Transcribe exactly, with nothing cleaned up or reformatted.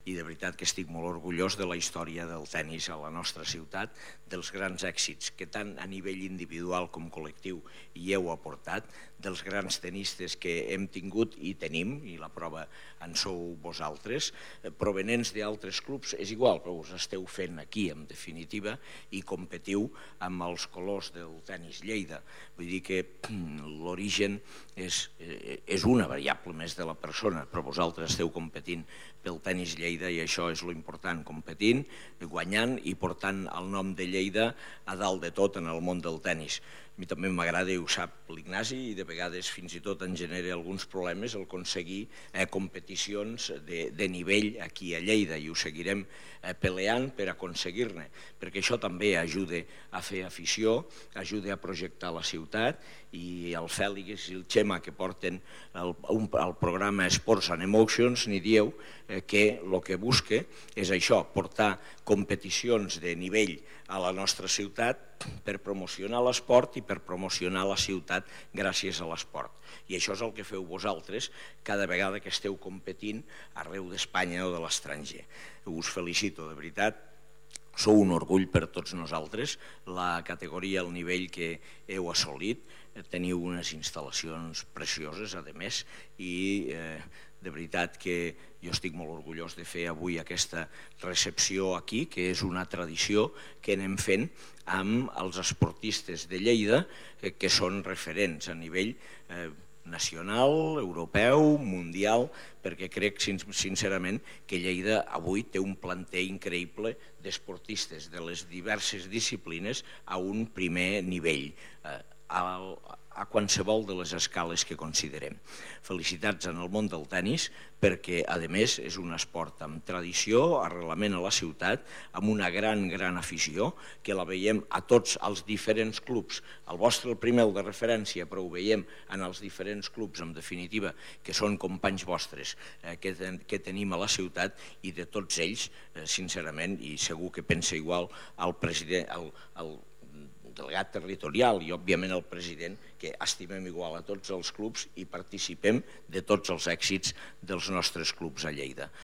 i de veritat que estic molt orgullós de la història del tennis a la nostra ciutat, dels grans èxits que tant a nivell individual com col·lectiu hi heu aportat, dels grans tenistes que hem tingut i tenim, i la prova en sou vosaltres, provenents d'altres clubs, és igual, però us esteu fent aquí, en definitiva, i competiu amb els colors del tennis Lleida. Vull dir que l'origen és, és una variable més de la persona, però vosaltres esteu competint pel tennis Lleida i això és l'important, competint, guanyant i portant el nom de Lleida a dalt de tot en el món del tennis. A mi també m'agrada, i ho sap l'Ignasi, i de vegades fins i tot en genera alguns problemes el aconseguir competicions de nivell aquí a Lleida, i ho seguirem peleant per aconseguir-ne, perquè això també ajuda a fer afició, ajuda a projectar la ciutat, i el Fèlix i el Xema que porten el programa Sports and Emotions n'hi dieu que el que busca és això, portar competicions de nivell a la nostra ciutat per promocionar l'esport i per promocionar la ciutat gràcies a l'esport. I això és el que feu vosaltres cada vegada que esteu competint arreu d'Espanya o de l'estranger. Us felicito, de veritat. Sou un orgull per tots nosaltres, la categoria, el nivell que heu assolit, teniu unes instal·lacions precioses, a més, i de veritat que jo estic molt orgullós de fer avui aquesta recepció aquí, que és una tradició que anem fent amb els esportistes de Lleida, que són referents a nivell nacional, europeu, mundial, perquè crec sincerament que Lleida avui té un planter increïble d'esportistes de les diverses disciplines a un primer nivell, a qualsevol de les escales que considerem. Felicitats en el món del tennis perquè, a més, és un esport amb tradició, arrelament a la ciutat, amb una gran, gran afició, que la veiem a tots els diferents clubs. El vostre, el primer, el de referència, però ho veiem en els diferents clubs, en definitiva, que són companys vostres que tenim a la ciutat, i de tots ells, sincerament, i segur que pensa igual el president, el delegat territorial i, òbviament, el president, que estimem igual a tots els clubs i participem de tots els èxits dels nostres clubs a Lleida.